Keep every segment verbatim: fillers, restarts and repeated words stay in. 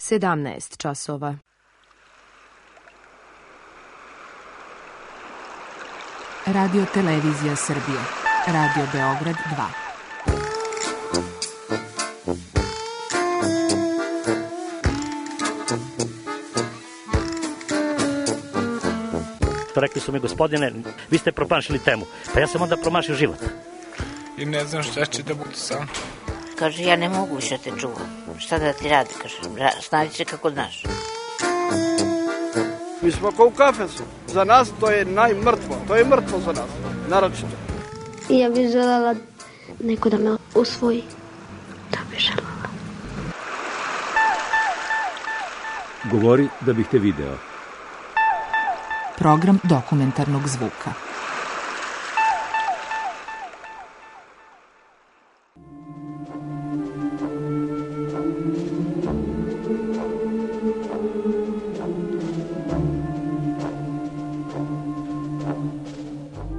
sedamnaest časova. Radio Televizija Srbije. Radio Beograd dva. Rekli su mi, gospodine, vi ste promašili temu. Pa ja sam onda promašio život. I ne znam šta će da bude sam. Kaže, ja ne mogu više te čuvam. Šta da ti radi, kaže, snađi se kako znaš. Mi smo kao u kafesu. Za nas to je najmrtvo. To je mrtvo za nas, naročito. I ja bih željela neko da me usvoji. Da bih željela. Govori da bih te video. Program dokumentarnog zvuka.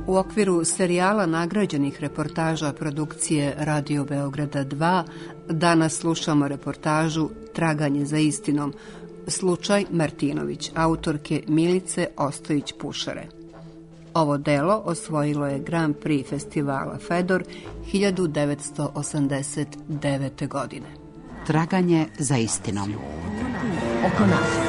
U okviru serijala nagrađenih reportaža produkcije Radio Beograda dva danas slušamo reportažu Traganje za istinom, slučaj Martinović, autorke Milice Ostojić-Pušare. Ovo delo osvojilo je Grand Prix festivala Fedor hiljadu devetsto osamdeset devete. godine. Traganje za istinom. Oko nas.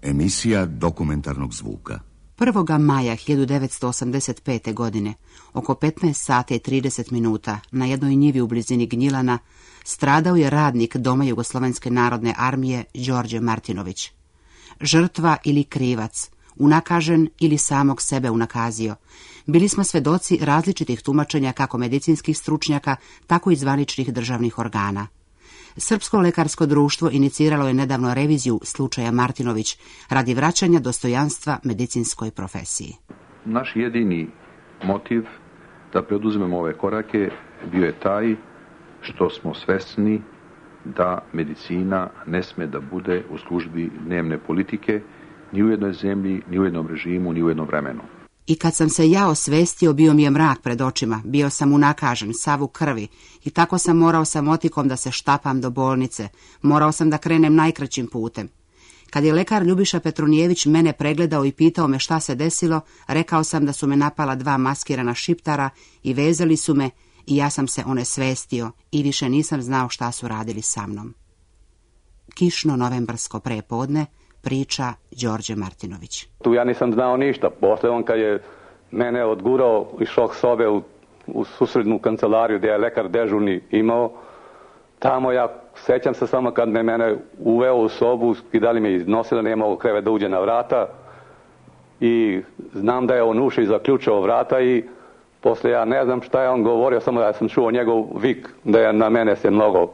Emisija dokumentarnog zvuka. prvog maja hiljadu devetsto osamdeset pete. godine, oko petnaest sati i trideset minuta, na jednoj njivi u blizini Gnjilana, stradao je radnik Doma Jugoslovenske narodne armije Đorđe Martinović. Žrtva ili krivac, unakažen ili samog sebe unakazio. Bili smo svedoci različitih tumačenja kako medicinskih stručnjaka, tako i zvaničnih državnih organa. Srpsko lekarsko društvo iniciralo je nedavno reviziju slučaja Martinović radi vraćanja dostojanstva medicinskoj profesiji. Naš jedini motiv da preduzmemo ove korake bio je taj što smo svesni da medicina ne sme da bude u službi dnevne politike ni u jednoj zemlji, ni u jednom režimu, ni u jednom vremenu. I kad sam se ja osvestio, bio mi je mrak pred očima, bio sam unakažen, sav u krvi, i tako sam morao sa motikom da se štapam do bolnice, morao sam da krenem najkraćim putem. Kad je lekar Ljubiša Petronijević mene pregledao i pitao me šta se desilo, rekao sam da su me napala dva maskirana šiptara i vezali su me i ja sam se onesvestio i više nisam znao šta su radili sa mnom. Kišno novembarsko prepodne, priča Đorđe Martinović. Tu ja nisam znao ništa. Posle on kad je mene odgurao iz šok sobe u, u susrednu kancelariju gdje je lekar dežurni imao, tamo ja sećam se samo kad me mene uveo u sobu, skidali me iznosili, nije mogao krevet da uđe na vrata i znam da je on ušao i zaključao vrata i posle ja ne znam šta je on govorio, samo da sam čuo njegov vik, da je na mene se mnogo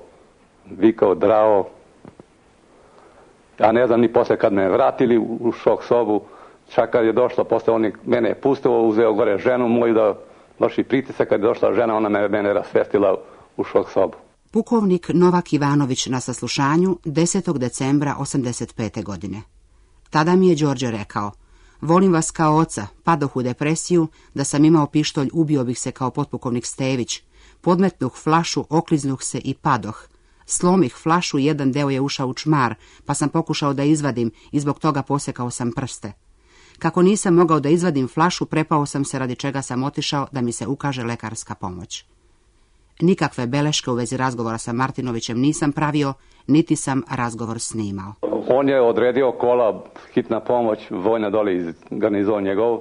vikao, drao. Ja ne znam ni posle kad me vratili u šok sobu, čak kad je došla, posle on mene je pustio, uzeo gore ženu moju da vrši pritisak, kad je došla žena, ona me mene rasvestila u šok sobu. Pukovnik Novak Ivanović na saslušanju desetog decembra osamdeset pete. godine. Tada mi je Đorđe rekao, volim vas kao oca, padoh u depresiju, da sam imao pištolj, ubio bih se kao potpukovnik Stević, podmetnuh flašu, okliznuh se i padoh. Slomih flašu, jedan deo je ušao u čmar, pa sam pokušao da izvadim i zbog toga posekao sam prste. Kako nisam mogao da izvadim flašu, prepao sam se, radi čega sam otišao da mi se ukaže lekarska pomoć. Nikakve beleške u vezi razgovora sa Martinovićem nisam pravio, niti sam razgovor snimao. On je odredio kola, hitna pomoć, vojna dole iz garnizona njegov.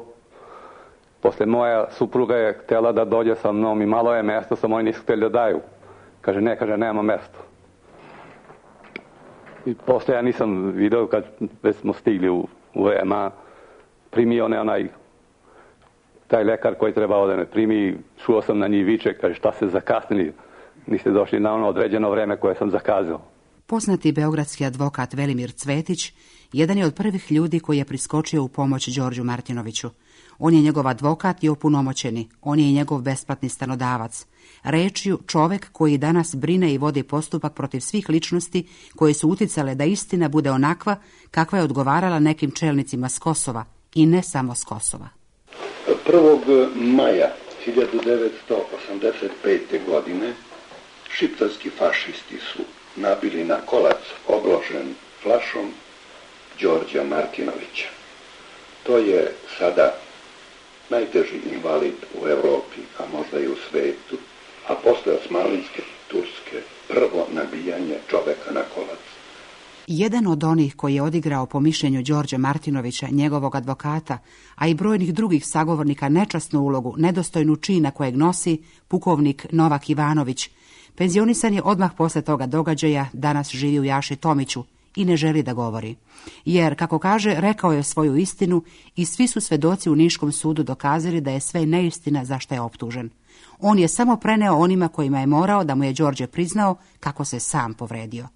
Posle moja supruga je htjela da dođe sa mnom i malo je mjesto, samo oni nisu htjeli da daju. Kaže, ne, kaže, nema mjesto. I posle ja nisam video kad već smo stigli u, u E M A, primio on onaj, taj lekar koji trebao da me primi, čuo sam na njih viče, kaže, šta se zakasnili, niste došli na ono određeno vreme koje sam zakazao. Poznati beogradski advokat Velimir Cvetić jedan je od prvih ljudi koji je priskočio u pomoć Đorđu Martinoviću. On je njegov advokat i opunomoćeni, on je i njegov besplatni stanodavac. Rečju čovek koji danas brine i vodi postupak protiv svih ličnosti koje su uticale da istina bude onakva kakva je odgovarala nekim čelnicima s Kosova i ne samo s Kosova. prvog maja hiljadu devetsto osamdeset pete. godine šiptarski fašisti su nabili na kolac obložen flašom Đorđa Martinovića. To je sada najteži invalid u Evropi, a možda i u svetu, a posle Osmanlijske i Turske prvo nabijanje čoveka na kolac. Jedan od onih koji je odigrao po mišljenju Đorđa Martinovića, njegovog advokata, a i brojnih drugih sagovornika nečasnu ulogu, nedostojnu čina kojeg nosi, pukovnik Novak Ivanović, penzionisan je odmah posle toga događaja, danas živi u Jaši Tomiću i ne želi da govori. Jer, kako kaže, rekao je svoju istinu i svi su svedoci u Niškom sudu dokazali da je sve neistina za što je optužen. On je samo preneo onima kojima je morao da mu je Đorđe priznao kako se sam povredio.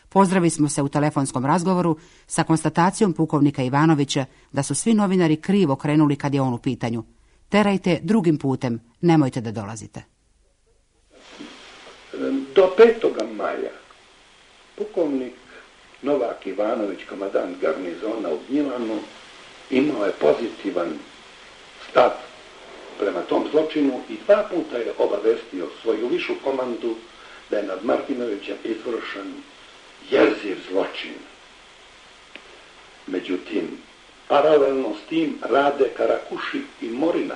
Pozdravili smo se u telefonskom razgovoru sa konstatacijom pukovnika Ivanovića da su svi novinari krivo krenuli kad je on u pitanju. Terajte drugim putem, nemojte da dolazite. Do petoga maja pukovnik Novak Ivanović, komandant garnizona u Gnjilanu, imao je pozitivan stav prema tom zločinu i dva puta je obavestio svoju višu komandu da je nad Martinovićem izvršen jerziv zločin. Međutim, paralelno s tim rade Karakuši i Morina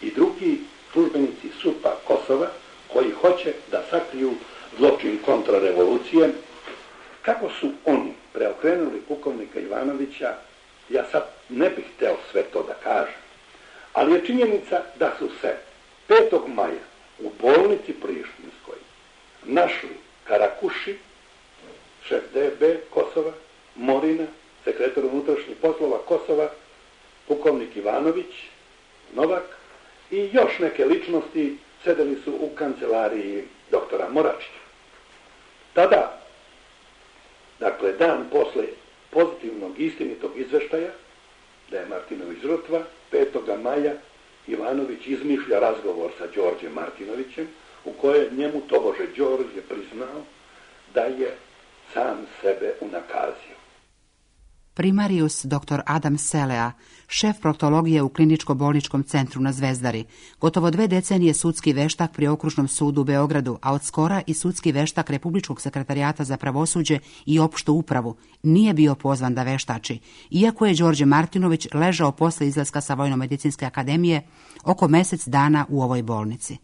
i drugi službenici SUP-a Kosova koji hoće da sakriju zločin kontrarevolucije. Kako su oni preokrenuli pukovnika Ivanovića, ja sad ne bih hteo sve to da kažem, ali je činjenica da su se petog maja u bolnici Prištinskoj našli Karakuši, šef D B Kosova, Morina, sekretar unutrašnjih poslova Kosova, pukovnik Ivanović, Novak i još neke ličnosti sedeli su u kancelariji doktora Moračića. Tada, dakle, dan posle pozitivnog istinitog izveštaja da je Martinović žrtva, petoga maja Ivanović izmišlja razgovor sa Đorđem Martinovićem u kojoj njemu tobože Đorđe priznao da je sam sebe unakazio. Primarius dr. Adam Selea, šef proktologije u kliničko-bolničkom centru na Zvezdari, gotovo dve decenije sudski veštak pri Okružnom sudu u Beogradu, a od skora i sudski veštak Republičkog sekretarijata za pravosuđe i opštu upravu, nije bio pozvan da veštači, iako je Đorđe Martinović ležao posle izlaska sa Vojno-medicinske akademije oko mesec dana u ovoj bolnici.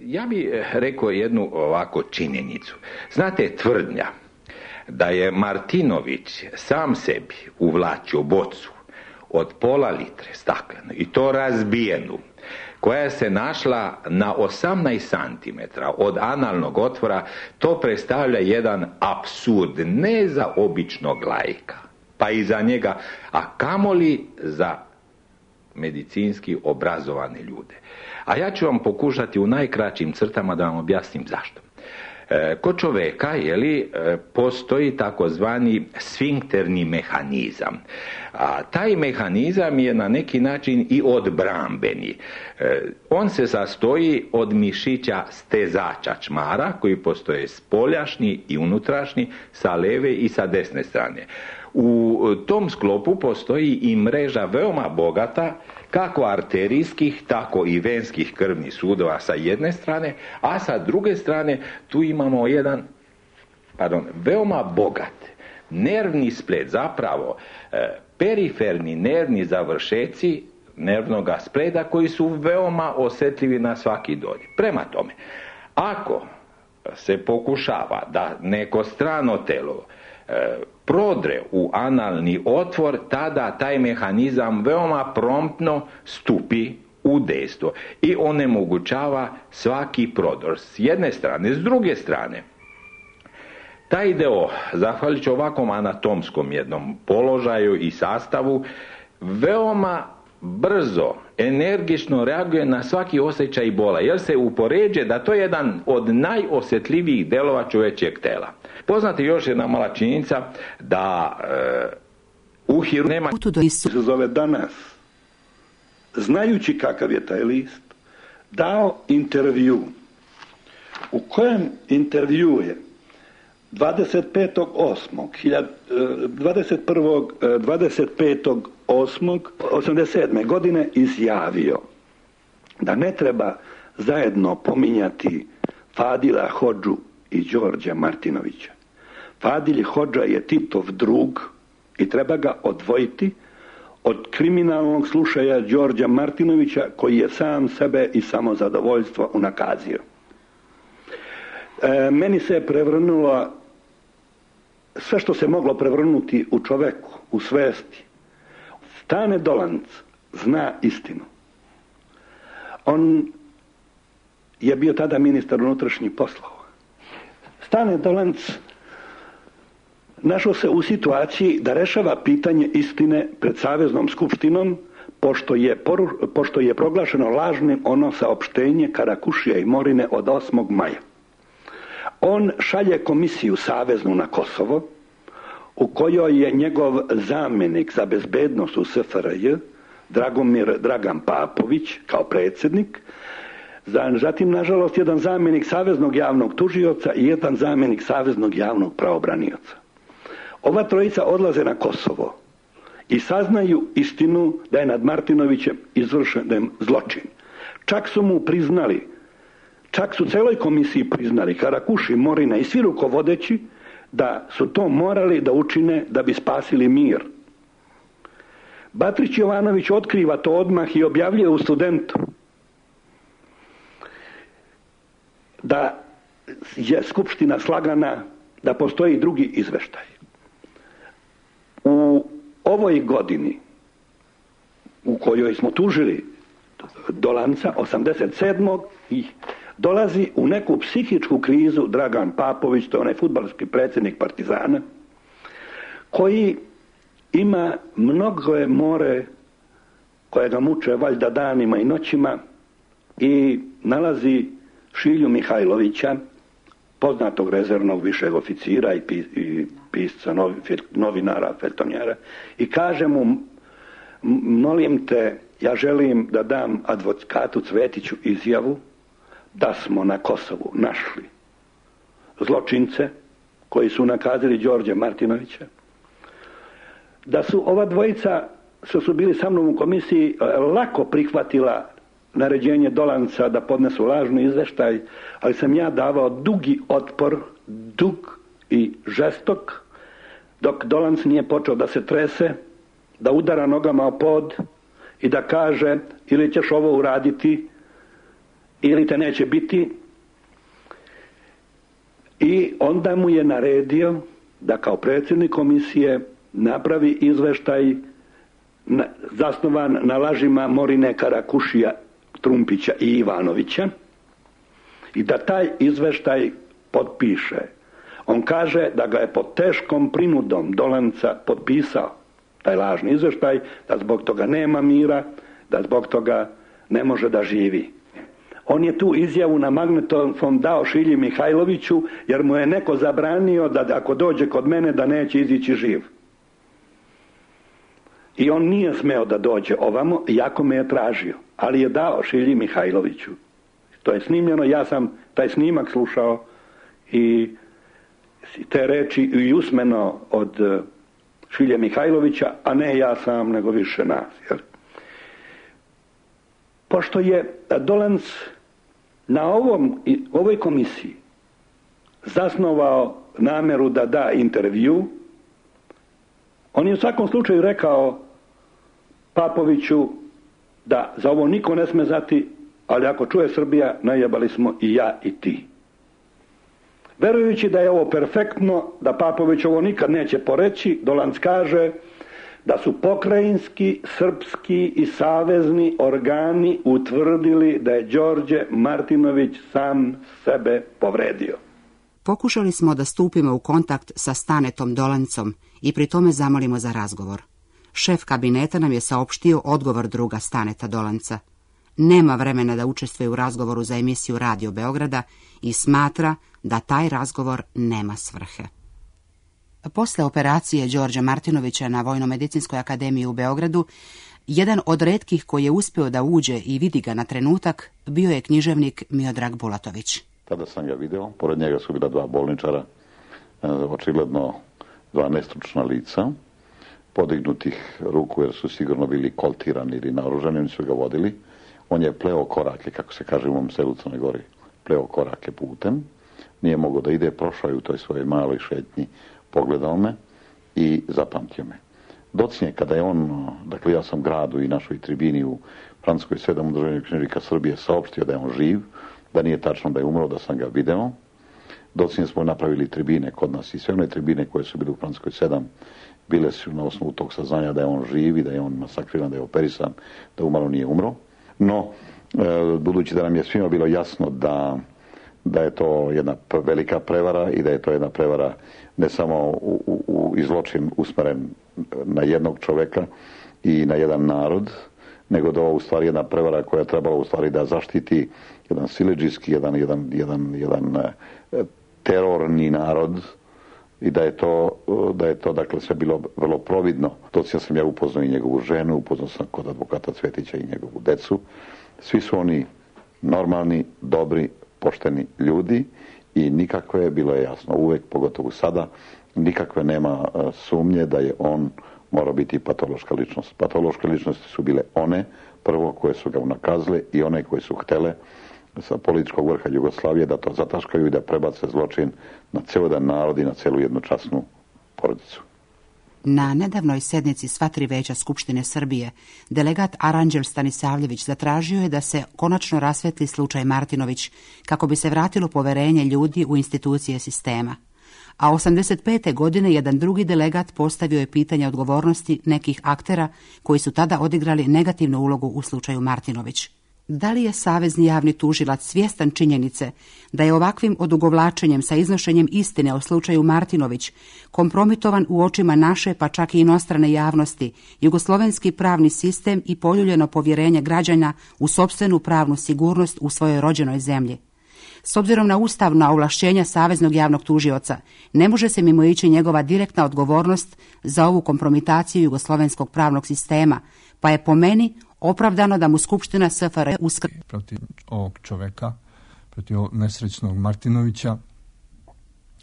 Ja bih rekao jednu ovako činjenicu. Znate, tvrdnja da je Martinović sam sebi uvlačio bocu od pola litre staklenu i to razbijenu, koja se našla na osamnaest santimetara od analnog otvora, to predstavlja jedan apsurd ne za običnog laika, pa i za njega, a kamoli za medicinski obrazovane ljude. A ja ću vam pokušati u najkraćim crtama da vam objasnim zašto. Kod čoveka, jeli, postoji takozvani sfinkterni mehanizam. A taj mehanizam je na neki način i odbrambeni. On se sastoji od mišića stezača čmara, koji postoje spoljašnji i unutrašnji, sa leve i sa desne strane. U tom sklopu postoji i mreža veoma bogata, kako arterijskih, tako i venskih krvnih sudova sa jedne strane, a sa druge strane tu imamo jedan, pardon, veoma bogat nervni splet, zapravo e, periferni nervni završeci nervnog spleda koji su veoma osjetljivi na svaki dodir. Prema tome, ako se pokušava da neko strano telo e, prodre u analni otvor, tada taj mehanizam veoma promptno stupi u dejstvo i onemogućava svaki prodor s jedne strane. S druge strane, taj deo, zahvaljujući ovakvom anatomskom jednom položaju i sastavu, veoma brzo, energično reaguje na svaki osjećaj bola, jer se upoređuje da to je jedan od najosjetljivijih delova čovječjeg tela. Poznata je još jedna mala činjenica da e, u hiru nema... Se zove Danas, znajući kakav je taj list, dao intervju, u kojem intervju je dvadeset petog osmog osamdeset sedme godine izjavio da ne treba zajedno pominjati Fadila Hodžu i Đorđa Martinovića. Fadil Hodža je Titov drug i treba ga odvojiti od kriminalnog slušaja Đorđa Martinovića, koji je sam sebe i samozadovoljstvo unakazio. E, meni se je prevrnulo sve što se moglo prevrnuti u čoveku, u svesti. Stane Dolanc zna istinu. On je bio tada ministar unutrašnjih poslova. Stane Dolanc našao se u situaciji da rešava pitanje istine pred Saveznom skupštinom, pošto je, poru, pošto je proglašeno lažnim ono saopštenje Karakušija i Morine od osmog maja. On šalje komisiju saveznu na Kosovo, u kojoj je njegov zamjenik za bezbednost u S F R J, Dragomir Dragan Papović, kao predsjednik, zatim, nažalost, jedan zamjenik saveznog javnog tužioca i jedan zamjenik saveznog javnog pravobranioca. Ova trojica odlaze na Kosovo i saznaju istinu da je nad Martinovićem izvršen zločin. Čak su mu priznali, čak su celoj komisiji priznali, Karakuši, Morina i svi rukovodeći, da su to morali da učine da bi spasili mir. Batrić Jovanović otkriva to odmah i objavljuje u Studentu da je skupština slagana, da postoji drugi izveštaj. U ovoj godini u kojoj smo tužili Dolanca, osamdeset sedmog i dolazi u neku psihičku krizu Dragan Papović, to je onaj fudbalski predsjednik Partizana, koji ima mnogo more koje ga muče valjda danima i noćima i nalazi Šilju Mihajlovića, poznatog rezervnog višeg oficira i, pis, i pisca, novi, novinara, feltonjera, i kaže mu, molim te, ja želim da dam advokatu Cvetiću izjavu da smo na Kosovu našli zločince koji su nakazili Đorđa Martinovića, da su ova dvojica, što su bili sa mnom u komisiji, lako prihvatila naređenje Dolanca da podnesu lažni izveštaj, ali sam ja davao dugi otpor, dug i žestok, dok Dolanc nije počeo da se trese, da udara nogama o pod i da kaže ili ćeš ovo uraditi ili te neće biti. I onda mu je naredio da kao predsjednik komisije napravi izveštaj na, zasnovan na lažima Morine, Karakušija, Trumpića i Ivanovića i da taj izveštaj potpiše. On kaže da ga je pod teškom prinudom Dolanca potpisao taj lažni izveštaj, da zbog toga nema mira, da zbog toga ne može da živi. On je tu izjavu na magnetofon dao Šilji Mihajloviću, jer mu je neko zabranio da ako dođe kod mene da neće izići živ. I on nije smeo da dođe ovamo, iako me je tražio, ali je dao Šilji Mihajloviću. To je snimljeno, ja sam taj snimak slušao i te reči i usmeno od Šilje Mihajlovića, a ne ja sam, nego više nas. Jel? Pošto je Dolanc na ovom, ovoj komisiji zasnovao nameru da da intervju, on je u svakom slučaju rekao Papoviću da za ovo niko ne sme znati, ali ako čuje Srbija, najebali smo i ja i ti. Verujući da je ovo perfektno, da Papović ovo nikad neće poreći, Dolanc kaže da su pokrajinski, srpski i savezni organi utvrdili da je Đorđe Martinović sam sebe povredio. Pokušali smo da stupimo u kontakt sa Stanetom Dolancom i pri tome zamolimo za razgovor. Šef kabineta nam je saopštio odgovor druga Staneta Dolanca. Nema vremena da učestvuje u razgovoru za emisiju Radio Beograda i smatra da taj razgovor nema svrhe. Posle operacije Đorđa Martinovića na Vojno-medicinskoj akademiji u Beogradu, jedan od retkih koji je uspio da uđe i vidi ga na trenutak bio je književnik Miodrag Bulatović. Tada sam ga video, pored njega su bila dva bolničara, očigledno dva nestručna lica, podignutih ruku jer su sigurno bili koltirani ili naoružani, oni su ga vodili. On je pleo korake, kako se kaže u mom selu Crnoj Gori, pleo korake putem, nije mogao da ide, prošao je u toj svojoj maloj šetnji, pogledao me i zapamtio me. Docnje, kada je on, dakle ja sam gradu i našoj tribini u Francuskoj sedam udruženja književnika Srbije saopštio da je on živ, da nije tačno da je umro, da sam ga video. Docnje smo napravili tribine kod nas i sve one tribine koje su bile u Francuskoj sedam bile su na osnovu tog saznanja da je on živ i da je on masakriran, da je operisan, da umalo nije umro. No, e, budući da nam je svima bilo jasno da, da je to jedna velika prevara i da je to jedna prevara ne samo u, u, u izločin usmeren na jednog čoveka i na jedan narod, nego da ovo u stvari jedna prevara koja je trebala u stvari da zaštiti jedan siledžijski, jedan, jedan, jedan, jedan e, terorni narod i da je to, da je to dakle sve bilo vrlo providno. Točno sam ja upoznao i njegovu ženu, upoznao sam kod advokata Cvetića i njegovu decu. Svi su oni normalni, dobri, pošteni ljudi i nikakve, bilo je jasno uvek, pogotovo sada, nikakve nema sumnje da je on morao biti patološka ličnost. Patološke ličnosti su bile one, prvo koje su ga unakazile i one koje su htele sa političkog vrha Jugoslavije da to zataškaju i da prebace zločin na ceo jedan narod i na celu jednu časnu porodicu. Na nedavnoj sednici sva tri veća Skupštine Srbije delegat Aranđel Stanisavljević zatražio je da se konačno rasvetli slučaj Martinović kako bi se vratilo poverenje ljudi u institucije sistema. A osamdeset pete godine jedan drugi delegat postavio je pitanje odgovornosti nekih aktera koji su tada odigrali negativnu ulogu u slučaju Martinović. Da li je Savezni javni tužilac svjestan činjenice da je ovakvim odugovlačenjem sa iznošenjem istine o slučaju Martinović kompromitovan u očima naše pa čak i inostrane javnosti jugoslovenski pravni sistem i poljuljeno povjerenje građana u sopstvenu pravnu sigurnost u svojoj rođenoj zemlji? S obzirom na ustavna ovlašćenja Saveznog javnog tužioca, ne može se mimoići njegova direktna odgovornost za ovu kompromitaciju jugoslovenskog pravnog sistema, pa je po meni opravdano da mu Skupština S F R J uskr... protiv ovog čoveka, protiv ovog nesrećnog Martinovića,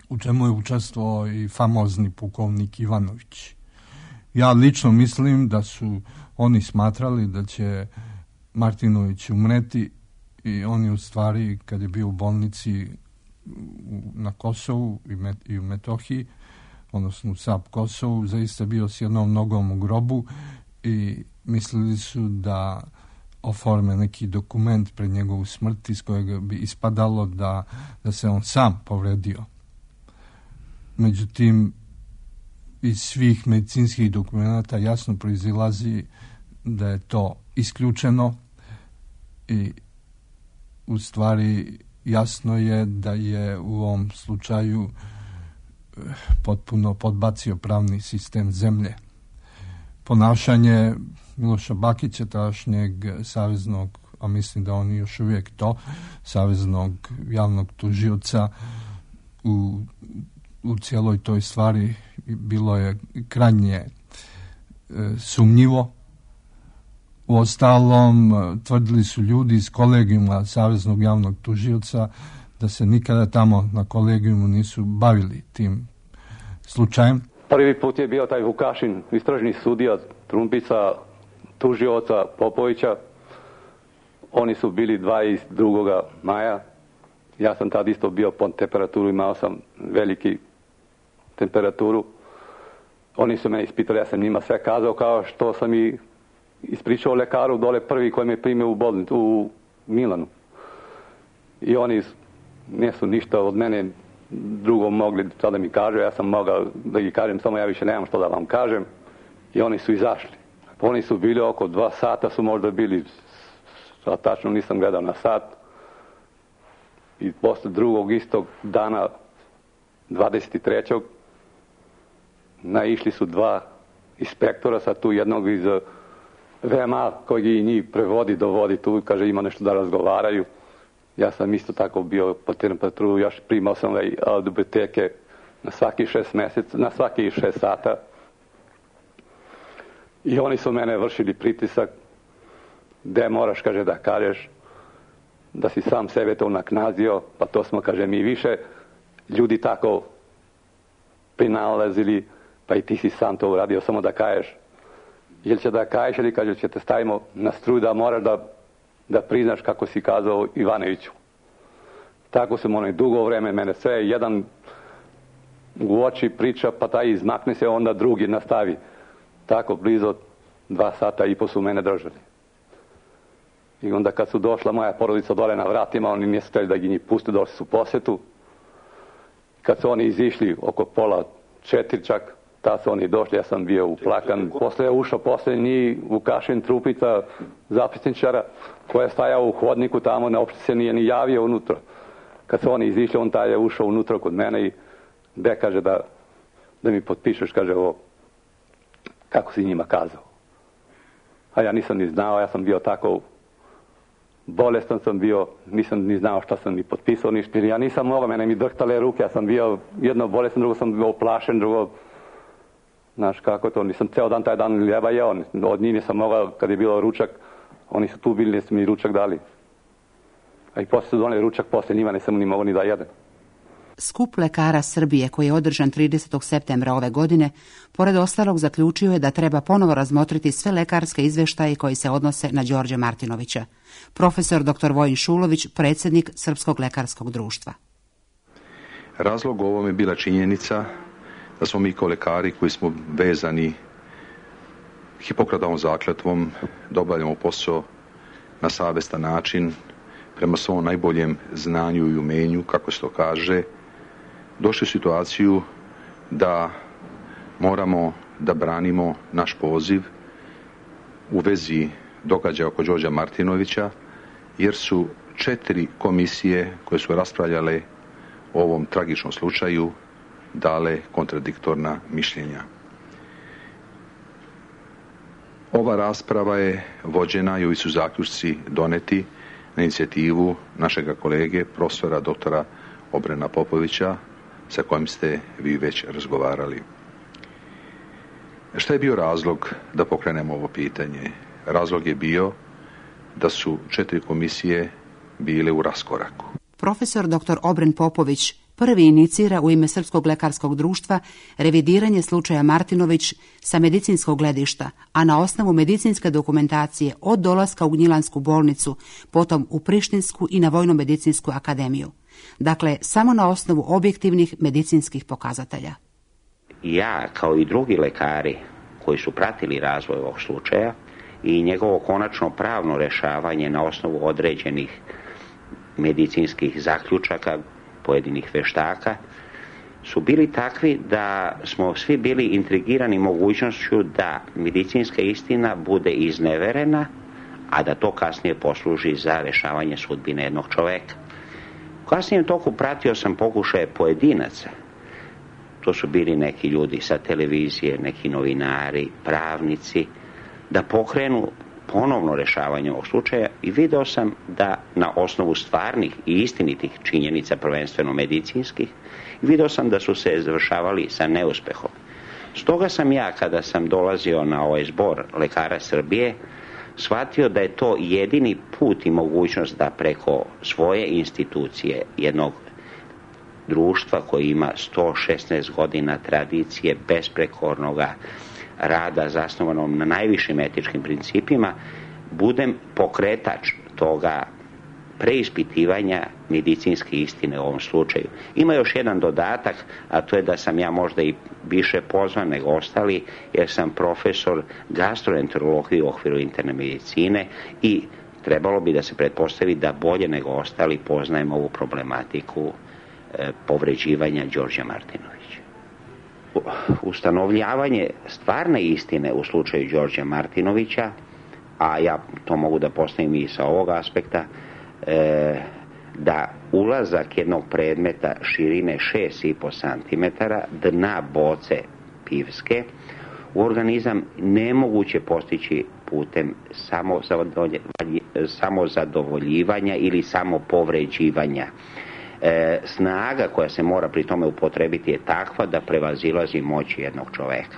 u čemu je učestvovao i famozni pukovnik Ivanović. Ja lično mislim da su oni smatrali da će Martinović umreti i oni u stvari, kad je bio u bolnici na Kosovu i u Metohiji, odnosno u S A P Kosovu, zaista bio s jednom nogom u grobu i mislili su da oforme neki dokument pred njegovu smrt iz kojeg bi ispadalo da, da se on sam povredio. Međutim, iz svih medicinskih dokumenta jasno proizilazi da je to isključeno i u stvari jasno je da je u ovom slučaju potpuno podbacio pravni sistem zemlje. Ponašanje Miloša Bakića, tadašnjeg saveznog, a mislim da on još uvijek to, saveznog javnog tužioca u, u cijeloj toj stvari bilo je krajnje e, sumnjivo. Uostalom, tvrdili su ljudi iz kolegijuma Saveznog javnog tužioca da se nikada tamo na kolegijumu nisu bavili tim slučajem. Prvi put je bio taj Vukašin, istražni sudija, Trumpica, tužioca Popovića. Oni su bili dvadeset drugog maja. Ja sam tad isto bio pod temperaturu, imao sam veliki temperaturu. Oni su me ispitali, ja sam njima sve kazao kao što sam i ispričao lekaru dole prvi koji me primio u bolnicu u Milanu. I oni nisu ništa od mene drugo mogli sada mi kažu, ja sam mogao da ih kažem, samo ja više nemam što da vam kažem. I oni su izašli. Oni su bili oko dva sata, su možda bili, a tačno nisam gledao na sat. I posle drugog istog dana, dvadeset trećeg naišli su dva inspektora, sa tu jednog iz V M A koji i njih prevodi, dovodi tu, kaže ima nešto da razgovaraju. Ja sam isto tako bio po temperaturu, još primao sam ovaj L B T-ke na svaki šest mjeseca, na svaki šest sata. I oni su mene vršili pritisak, gde moraš, kaže, da kažeš da si sam sebe to naknazio, pa to smo, kaže, mi više ljudi tako prinalazili, pa i ti si sam to uradio, samo da kažeš. Ili će da kažeš ili kaže će te stavimo na struju da moraš da da priznaš kako si kazao Ivanoviću. Tako sam onaj dugo vreme, mene sve jedan u oči priča, pa taj izmakne se, onda drugi nastavi. Tako blizu dva sata i po su mene držali. I onda kad su došla moja porodica dole na vratima, oni nisu htjeli da njih puste, došli su u posjetu. Kad su oni izišli oko pola četiri čak, ta su oni došli, ja sam bio uplakan. Posle je ušao posljednji Vukašin Trupica, zapisničara, koja je stajao u hodniku tamo, uopšte se nije ni javio unutra. Kad su oni izišli, on taj je ušao unutra kod mene i gde kaže da, da mi potpišeš, kaže ovo, kako si njima kazao. A ja nisam ni znao, ja sam bio tako bolestan sam bio, nisam ni znao šta sam ni potpisao, ništa. Ja nisam mogao, mene mi drhtale ruke, ja sam bio jedno bolestan, drugo sam bio oplašen, drugo, znaš kako to, nisam ceo dan taj dan ljeba jeo, od njih nisam mogao, kad je bilo ručak, oni su tu bili, nisu mi ručak dali. A i posle su doneli ručak, posle njima nisam ni mogao ni da jedem. Skup lekara Srbije, koji je održan tridesetog septembra ove godine, pored ostalog zaključio je da treba ponovo razmotriti sve lekarske izveštaje koji se odnose na Đorđa Martinovića. Profesor doktor Vojin Šulović, predsjednik Srpskog lekarskog društva. Razlog ovom je bila činjenica da smo mi kao lekari koji smo vezani Hipokratovom zakletvom da obavljamo posao na savjestan način, prema svom najboljem znanju i umenju, kako se to kaže, došli u situaciju da moramo da branimo naš poziv u vezi događaja oko Đorđa Martinovića, jer su četiri komisije koje su raspravljale o ovom tragičnom slučaju dale kontradiktorna mišljenja. Ova rasprava je vođena i ovi su zaključci doneti na inicijativu našega kolege, profesora doktora Obrena Popovića, sa kojim ste vi već razgovarali. Šta je bio razlog da pokrenemo ovo pitanje? Razlog je bio da su četiri komisije bile u raskoraku. Profesor doktor Obren Popović prvi inicira u ime Srpskog lekarskog društva revidiranje slučaja Martinović sa medicinskog gledišta, a na osnovu medicinske dokumentacije od dolaska u Gnjilansku bolnicu, potom u Prištinsku i na Vojno-medicinsku akademiju. Dakle, samo na osnovu objektivnih medicinskih pokazatelja. Ja, kao i drugi lekari koji su pratili razvoj ovog slučaja i njegovo konačno pravno rešavanje na osnovu određenih medicinskih zaključaka pojedinih veštaka, su bili takvi da smo svi bili intrigirani mogućnošću da medicinska istina bude izneverena, a da to kasnije posluži za rešavanje sudbine jednog čoveka. U kasnijem toku pratio sam pokušaje pojedinaca. To su bili neki ljudi sa televizije, neki novinari, pravnici, da pokrenu ponovno rešavanje ovog slučaja i video sam da na osnovu stvarnih i istinitih činjenica, prvenstveno medicinskih, video sam da su se završavali sa neuspehom. Stoga sam ja, kada sam dolazio na ovaj zbor lekara Srbije, shvatio da je to jedini put i mogućnost da preko svoje institucije, jednog društva koji ima sto šesnaest godina tradicije besprekornog rada zasnovanom na najvišim etičkim principima, budem pokretač toga preispitivanja medicinske istine u ovom slučaju. Ima još jedan dodatak, a to je da sam ja možda i više pozvan nego ostali, jer sam profesor gastroenterologije u okviru interne medicine i trebalo bi da se pretpostavi da bolje nego ostali poznajem ovu problematiku e, povređivanja Đorđa Martinovića. Ustanovljavanje stvarne istine u slučaju Đorđa Martinovića, a ja to mogu da postavim i sa ovog aspekta, e, da ulazak jednog predmeta širine šest i po centimetara, dna boce pivske, u organizam nemoguće postići putem samozadovoljivanja ili samopovređivanja. E, snaga koja se mora pri tome upotrebiti je takva da prevazilazi moć jednog čoveka.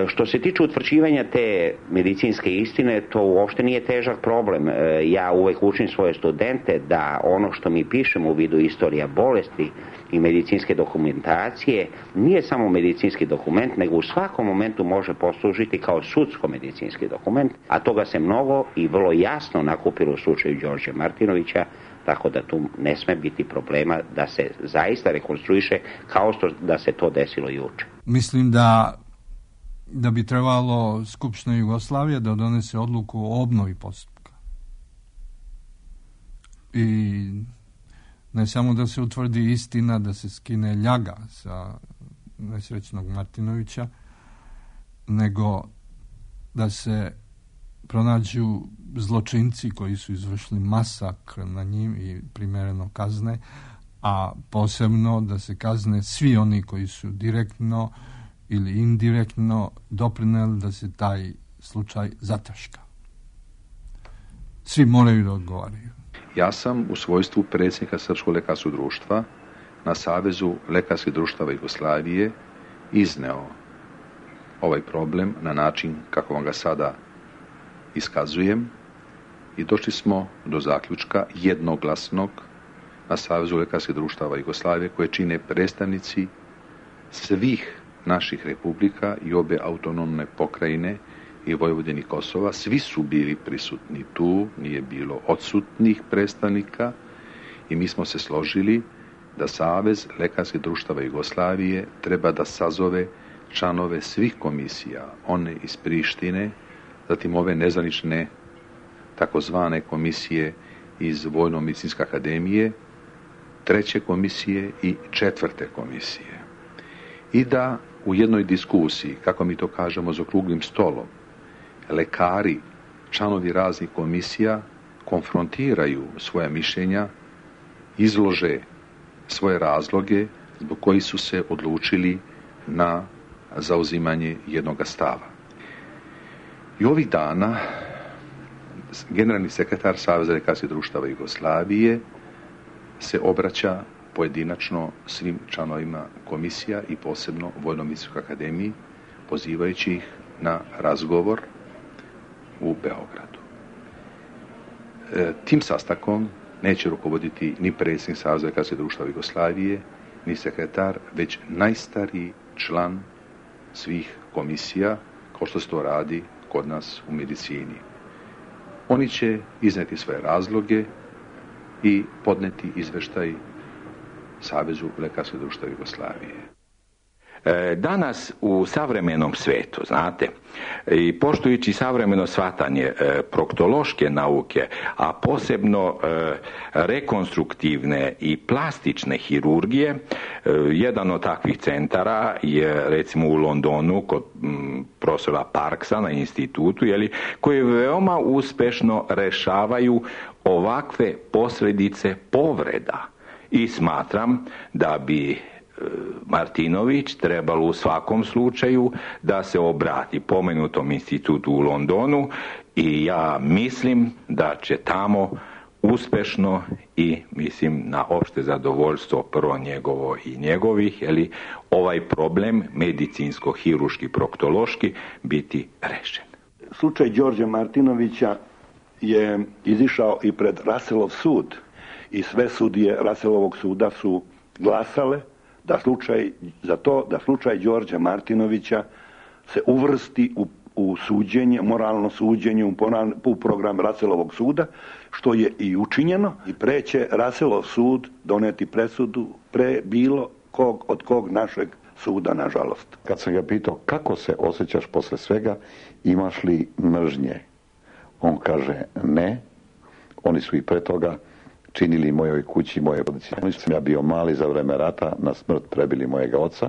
Što se tiče utvrđivanja te medicinske istine, to uopšte nije težak problem. Ja uvek učim svoje studente da ono što mi pišemo u vidu istorija bolesti i medicinske dokumentacije nije samo medicinski dokument, nego u svakom momentu može poslužiti kao sudsko-medicinski dokument, a toga se mnogo i vrlo jasno nakupilo u slučaju Đorđe Martinovića, tako da tu ne sme biti problema da se zaista rekonstruiše kao što da se to desilo juče. Mislim da da bi trebalo Skupština Jugoslavije da donese odluku o obnovi postupka. I ne samo da se utvrdi istina, da se skine ljaga sa nesrećnog Martinovića, nego da se pronađu zločinci koji su izvršili masakr na njim i primereno kazne, a posebno da se kazne svi oni koji su direktno ili indirektno doprineli da se taj slučaj zataška. Svi moraju da odgovaraju. Ja sam u svojstvu predsjednika Srpskog lekarskog društva na Savezu lekarskih društava Jugoslavije izneo ovaj problem na način kako vam ga sada iskazujem i došli smo do zaključka jednoglasnog na Savezu lekarskih društava Jugoslavije koje čine predstavnici svih naših republika i obe autonomne pokrajine i Vojvodine i Kosova. Svi su bili prisutni tu, nije bilo odsutnih predstavnika i mi smo se složili da Savez lekarskih društava Jugoslavije treba da sazove članove svih komisija, one iz Prištine, zatim ove nezvanične takozvane komisije iz Vojno-medicinske akademije, treće komisije i četvrte komisije. I da u jednoj diskusiji, kako mi to kažemo za okruglim stolom, lekari, članovi raznih komisija konfrontiraju svoja mišljenja, izlože svoje razloge zbog koji su se odlučili na zauzimanje jednog stava. I ovih dana generalni sekretar Saveza lekarskih društava Jugoslavije se obraća pojedinačno svim članovima komisija i posebno Vojno-medicinskoj akademiji, pozivajući ih na razgovor u Beogradu. E, tim sastankom neće rukovoditi ni predsjednik Saveza lekarskih društava Jugoslavije, ni sekretar, već najstariji član svih komisija, kao što se to radi kod nas u medicini. Oni će izneti svoje razloge i podneti izveštaj Savezu lekarskih društava Jugoslavije. Danas u savremenom svetu, znate, i poštujući savremeno shvatanje proktološke nauke, a posebno rekonstruktivne i plastične hirurgije, jedan od takvih centara je recimo u Londonu kod profesora Parksa na institutu, jeli, koji veoma uspešno rešavaju ovakve posljedice povreda. I smatram da bi Martinović trebalo u svakom slučaju da se obrati pomenutom institutu u Londonu i ja mislim da će tamo uspešno i mislim na opšte zadovoljstvo prvo njegovo i njegovih, jeli, ovaj problem medicinsko-hiruški, proktološki biti rešen. Slučaj Đorđe Martinovića je izišao i pred Russellov sud i sve sudije Russellovog suda su glasale da slučaj, za to da slučaj Đorđa Martinovića se uvrsti u, u suđenje, moralno suđenje u, u program Russellovog suda, što je i učinjeno i pre će Russellov sud doneti presudu pre bilo kog od kog našeg suda, nažalost. Kad sam ga pitao kako se osjećaš posle svega, imaš li mržnje? On kaže ne, oni su i pre toga činili mojoj kući, moje porodice. Oni su, ja bio mali za vreme rata, na smrt prebili mojega oca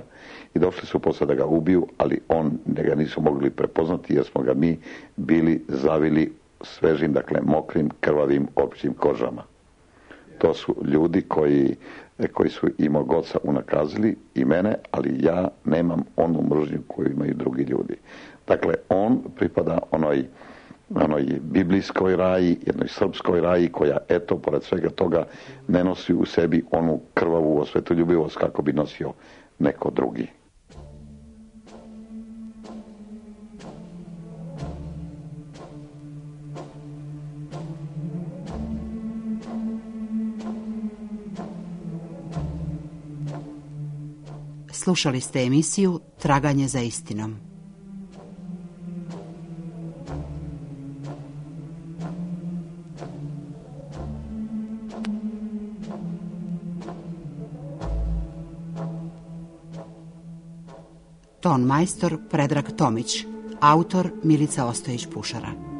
i došli su posle da ga ubiju, ali on, njega nisu mogli prepoznati jer smo ga mi bili zavili svežim, dakle mokrim, krvavim, općim kožama. To su ljudi koji, koji su i mog oca unakazili i mene, ali ja nemam onu mržnju koju imaju drugi ljudi. Dakle, on pripada onoj onoj biblijskoj raji, jednoj srpskoj raji koja, eto, pored svega toga ne nosi u sebi onu krvavu osvetoljubivost kako bi nosio neko drugi. Slušali ste emisiju Traganje za istinom. Ton majstor Predrag Tomić, autor Milica Ostojić-Pušara.